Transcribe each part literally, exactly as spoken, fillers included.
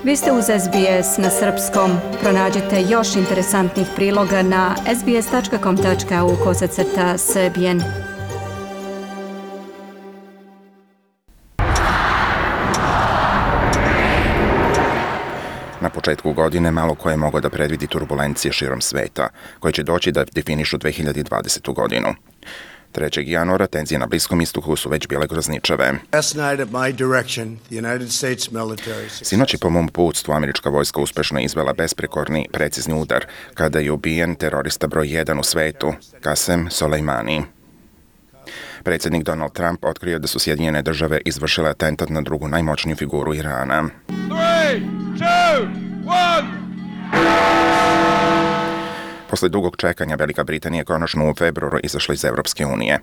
Vi ste uz S B S na srpskom. Pronađite još interesantnih priloga na sbs.com.au kosacrta srbijen. Na početku godine malo ko je mogao da predvidi turbulencije širom sveta, koje će doći da definišu dve hiljade dvadesetu godinu. trećeg januara tenzije na Bliskom istoku su već bile grozničave. Sinoć je po mom uputstvu američka vojska uspešno izvela besprekorni, precizni udar kada je ubijen terorista broj jedan u svetu, Qasem Soleimani. Predsjednik Donald Trump otkrio da su Sjedinjene države izvršile atentat na drugu najmoćniju figuru Irana. Three, two, one. Posle dugog čekanja Velika Britanija je konačno u februaru izašla iz Evropske unije.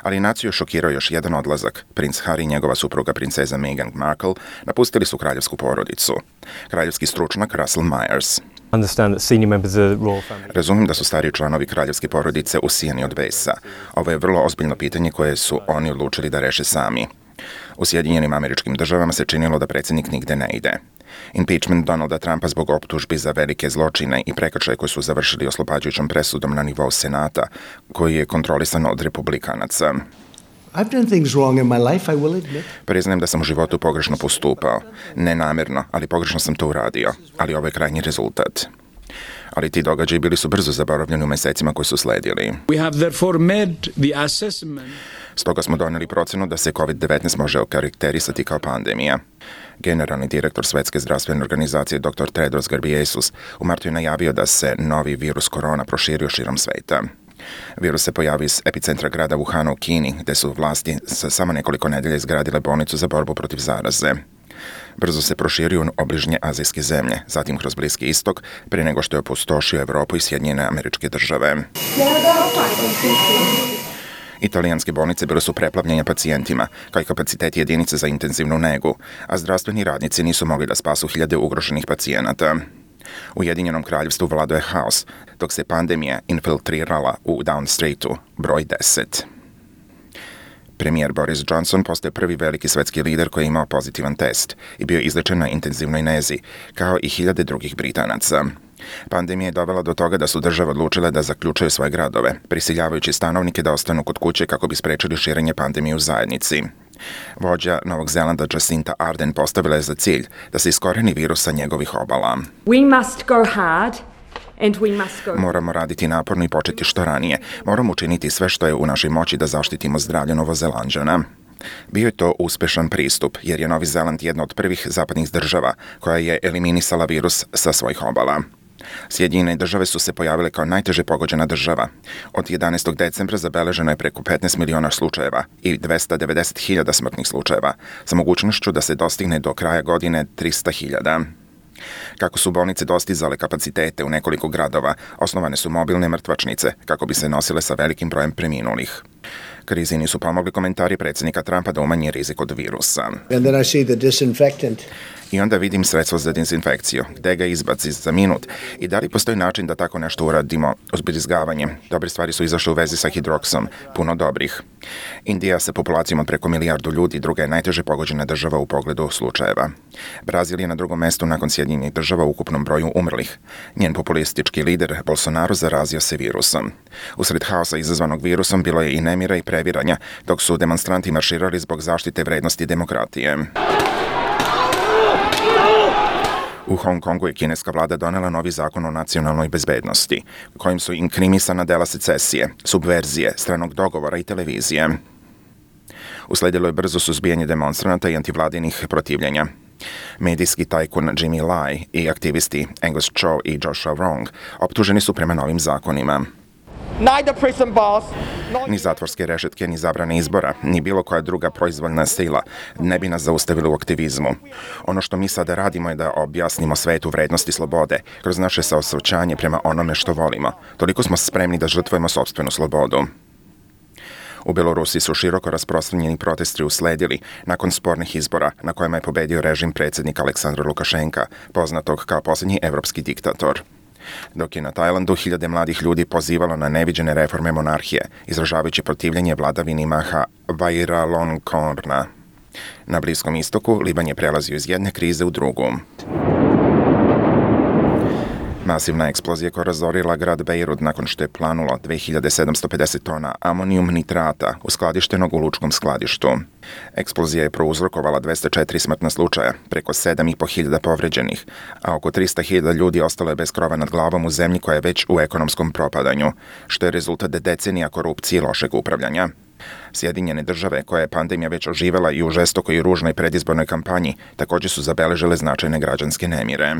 Ali naciju je šokirao još jedan odlazak. Princ Harry i njegova supruga princeza Meghan Markle napustili su kraljevsku porodicu. Kraljevski stručnjak Russell Myers. Razumim da su stariji članovi kraljevske porodice usijani od besa. Ovo je vrlo ozbiljno pitanje koje su oni odlučili da reše sami. U Sjedinjenim Američkim Državama se činilo da predsjednik nigde ne ide. Impeachment Donalda Trumpa zbog optužbi za velike zločine i prekršaje koji su završili oslobađajućom presudom na nivou Senata, koji je kontrolisan od republikanaca. I've done things wrong in my life, I will admit. Priznajem da sam u životu pogrešno postupao. Ne namerno, ali pogrešno sam to uradio. Ali ovo je krajnji rezultat. Ali ti događaji bili su brzo zaboravljeni u mesecima koji su sledili. We have therefore made the assessment. Stoga smo doneli procenu da se covid devetnaest može okarakterisati kao pandemija. Generalni direktor Svetske zdravstvene organizacije dr Tedros Ghebreyesus u martu je najavio da se novi virus korona proširio širom sveta. Virus se pojavio iz epicentra grada Wuhana u Kini, gde su vlasti sa samo nekoliko nedelja izgradile bolnicu za borbu protiv zaraze. Brzo se proširio u obližnje azijske zemlje, zatim kroz Bliski istok, prije nego što je opustošio Evropu i Sjedinjene Američke Države. Italijanske bolnice bile su preplavljene pacijentima, kao i kapaciteti jedinice za intenzivnu negu, a zdravstveni radnici nisu mogli da spasu hiljade ugroženih pacijenata. U Ujedinjenom kraljevstvu vladao je haos, dok se pandemija infiltrirala u Down Streetu, broj deset. Premijer Boris Johnson postaje prvi veliki svetski lider koji je imao pozitivan test i bio izlečen na intenzivnoj nezi, kao i hiljade drugih Britanaca. Pandemija je dovela do toga da su države odlučile da zaključaju svoje gradove, prisiljavajući stanovnike da ostanu kod kuće kako bi sprečili širenje pandemije u zajednici. Vođa Novog Zelanda Jacinda Ardern postavila je za cilj da se iskoreni virus sa njegovih obala. We must go hard. Moramo raditi naporno i početi što ranije. Moramo učiniti sve što je u našoj moći da zaštitimo zdravlje Novozelanđana. Bio je to uspešan pristup, jer je Novi Zeland jedna od prvih zapadnih država koja je eliminisala virus sa svojih obala. Sjedinjene države su se pojavile kao najteže pogođena država. Od jedanaestog decembra zabeleženo je preko petnaest miliona slučajeva i dvesta devedeset hiljada smrtnih slučajeva, sa mogućnošću da se dostigne do kraja godine trista hiljada. Kako su bolnice dostizale kapacitete u nekoliko gradova, osnovane su mobilne mrtvačnice kako bi se nosile sa velikim brojem preminulih. Krizi nisu pomogli komentari predsjednika Trumpa da umanji rizik od virusa. And then I see the disinfectant. I onda vidim sredstvo za dezinfekciju, gde ga izbaci za minut i da li postoji način da tako nešto uradimo uz brizgavanje. Dobre stvari su izašle u vezi sa hidroksom, puno dobrih. Indija sa populacijom od preko milijardu ljudi druga je najteže pogođena država u pogledu slučajeva. Brazil je na drugom mestu nakon Sjedinjenih država u ukupnom broju umrlih. Njen populistički lider Bolsonaro zarazio se virusom. Usred haosa izazvanog virusom bilo je i nemira i previranja, dok su demonstranti marširali zbog zaštite vrednosti demokratije. U Hong Kongu je kineska vlada donela novi zakon o nacionalnoj bezbednosti, kojim su inkriminisana dela secesije, subverzije, stranog dogovora i televizije. Usledilo je brzo suzbijanje demonstranata i antivladinih protivljenja. Medijski tajkun Jimmy Lai i aktivisti Angus Cho i Joshua Wrong optuženi su prema novim zakonima. Ni zatvorske rešetke, ni zabrane izbora, ni bilo koja druga proizvoljna sila ne bi nas zaustavili u aktivizmu. Ono što mi sada radimo je da objasnimo svetu vrednosti slobode kroz naše saosećanje prema onome što volimo. Toliko smo spremni da žrtvujemo sopstvenu slobodu. U Belorusiji su široko rasprostranjeni protesti usledili nakon spornih izbora na kojima je pobedio režim predsjednika Aleksandra Lukašenka, poznatog kao posljednji evropski diktator. Dok je na Tajlandu hiljade mladih ljudi pozivalo na neviđene reforme monarhije, izražavajući protivljenje vladavini Maha Vajiralongkorna. Na Bliskom istoku Liban je prelazio iz jedne krize u drugu. Masivna eksplozija koja razorila grad Bejrut nakon što je planulo dve hiljade sedamsto pedeset tona amonijum nitrata uskladištenog u lučkom skladištu. Eksplozija je prouzrokovala dvesta četiri smrtna slučaja, preko sedam i po hiljada povređenih, a oko trista hiljada ljudi ostalo je bez krova nad glavom u zemlji koja je već u ekonomskom propadanju, što je rezultat decenija korupcije i lošeg upravljanja. Sjedinjene države, koja je pandemija već oživela i u žestokoj i ružnoj predizbornoj kampanji, također su zabeležile značajne građanske nemire.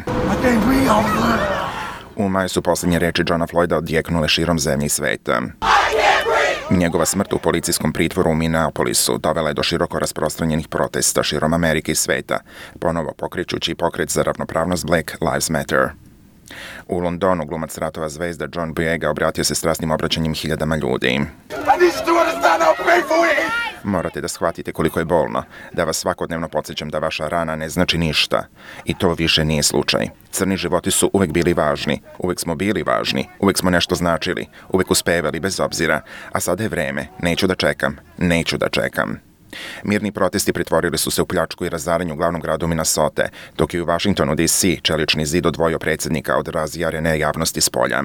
U maju su posljednje reči Johna Floyda odjeknule širom zemlje i sveta. Njegova smrt u policijskom pritvoru u Minneapolisu dovela je do široko rasprostranjenih protesta širom Amerike i sveta, ponovo pokrećući pokret za ravnopravnost Black Lives Matter. U Londonu glumac ratova zvezda John Boyega obratio se strasnim obraćanjem hiljadama ljudi. Morate da shvatite koliko je bolno, da vas svakodnevno podsjećam da vaša rana ne znači ništa. I to više nije slučaj. Crni životi su uvek bili važni, uvek smo bili važni, uvek smo nešto značili, uvek uspevali bez obzira, a sada je vreme, neću da čekam, neću da čekam. Mirni protesti pretvorili su se u pljačku i razaranje u glavnom gradu Minnesota, dok je u Washingtonu D C čelični zid odvojio predsjednika od razjarene javnosti s polja.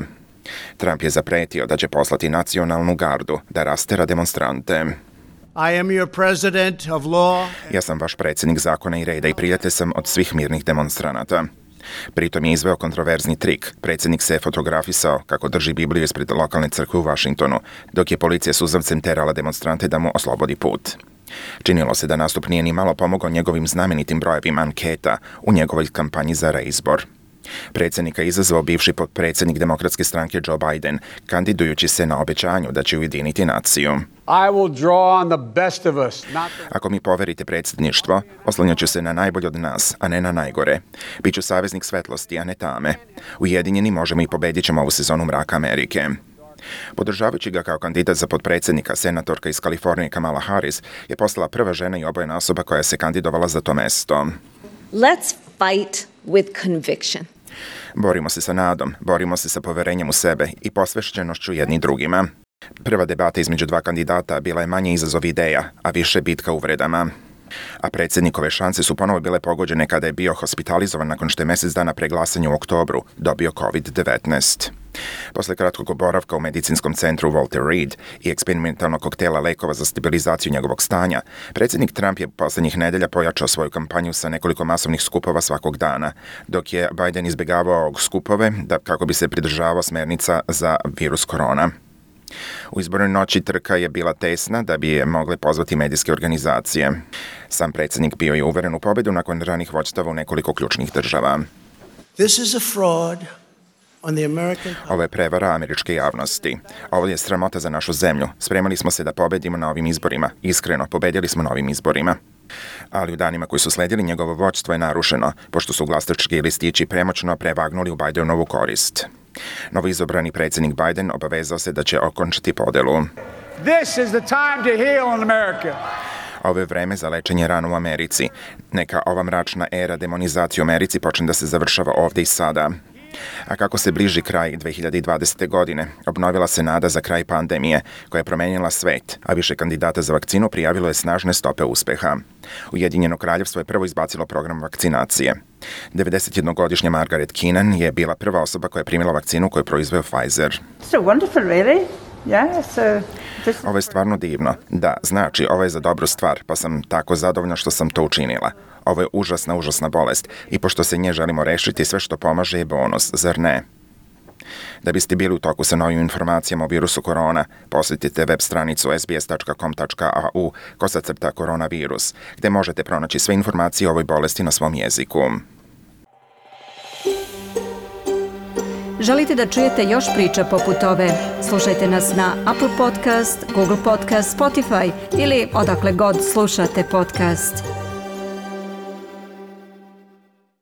Trump je zapretio da će poslati nacionalnu gardu da rastera demonstrante. I am your president of law. Ja sam vaš predsjednik zakona i reda i prijatelj sam od svih mirnih demonstranata. Pritom je izveo kontroverzni trik. Predsjednik se je fotografisao kako drži Bibliju ispred lokalne crkve u Washingtonu, dok je policija suzavcem terala demonstrante da mu oslobodi put. Činilo se da nastup nije ni malo pomogao njegovim znamenitim brojevima anketa u njegovoj kampanji za reizbor. Predsjednika je izazvao bivši potpredsjednik demokratske stranke Joe Biden, kandidujući se na obećanju da će ujediniti naciju. I will draw on the best of us, not the... Ako mi poverite predsjedništvo, oslanjaću se na najbolje od nas, a ne na najgore. Biću saveznik svetlosti, a ne tame. Ujedinjeni možemo i pobedit ćemo ovu sezonu mraka Amerike. Podržavajući ga kao kandidat za potpredsjednika, senatorka iz Kalifornije Kamala Harris je postala prva žena i obojena osoba koja se kandidovala za to mesto. Let's fight with conviction. Borimo se sa nadom, borimo se sa poverenjem u sebe i posvećenošću jedni drugima. Prva debata između dva kandidata bila je manje izazov ideja, a više bitka uvredama. A predsjednikove šanse su ponovo bile pogođene kada je bio hospitalizovan nakon što je mjesec dana pre glasanja u oktobru dobio kovid devetnaest. Posle kratkog boravka u medicinskom centru Walter Reed i eksperimentalnog koktela lekova za stabilizaciju njegovog stanja, predsjednik Trump je poslednjih nedelja pojačao svoju kampanju sa nekoliko masovnih skupova svakog dana, dok je Biden izbjegavao skupove da, kako bi se pridržavao smernica za virus korona. U izbornoj noći trka je bila tesna da bi je mogle pozvati medijske organizacije. Sam predsjednik bio je uveren u pobedu nakon ranih vođstava u nekoliko ključnih država. This is a fraud on the American... Ovo je prevara američke javnosti. Ovo je sramota za našu zemlju. Spremali smo se da pobedimo na ovim izborima. Iskreno, pobedili smo na ovim izborima. Ali u danima koji su sledili njegovo vođstvo je narušeno, pošto su glasački listići premoćno prevagnuli u Bidenovu korist. Novoizabrani predsjednik Biden obavezao se da će okončati podelu. This is the time to heal in America. Ovo je vreme za lečenje rana u Americi. Neka ova mračna era demonizacije u Americi počne da se završava ovdje i sada. A kako se bliži kraj dve hiljade dvadesete. godine, obnovila se nada za kraj pandemije, koja je promenila svet, a više kandidata za vakcinu prijavilo je snažne stope uspeha. Ujedinjeno kraljevstvo je prvo izbacilo program vakcinacije. devedesetjednogodišnja Margaret Keenan je bila prva osoba koja je primila vakcinu koju je proizveo Pfizer. So wonderful, really. Yeah, so this... Ovo je stvarno divno. Da, znači, ovo je za dobru stvar, pa sam tako zadovoljna što sam to učinila. Ovo je užasna, užasna bolest i pošto se nje želimo rešiti, sve što pomaže je bonus, zar ne? Da biste bili u toku sa novim informacijama o virusu korona, posjetite web stranicu s b s tačka com tačka a u kosacrta koronavirus, gde možete pronaći sve informacije o ovoj bolesti na svom jeziku. Želite da čujete još priča poput ove? Slušajte nas na Apple Podcast, Google Podcast, Spotify ili odakle god slušate podcast.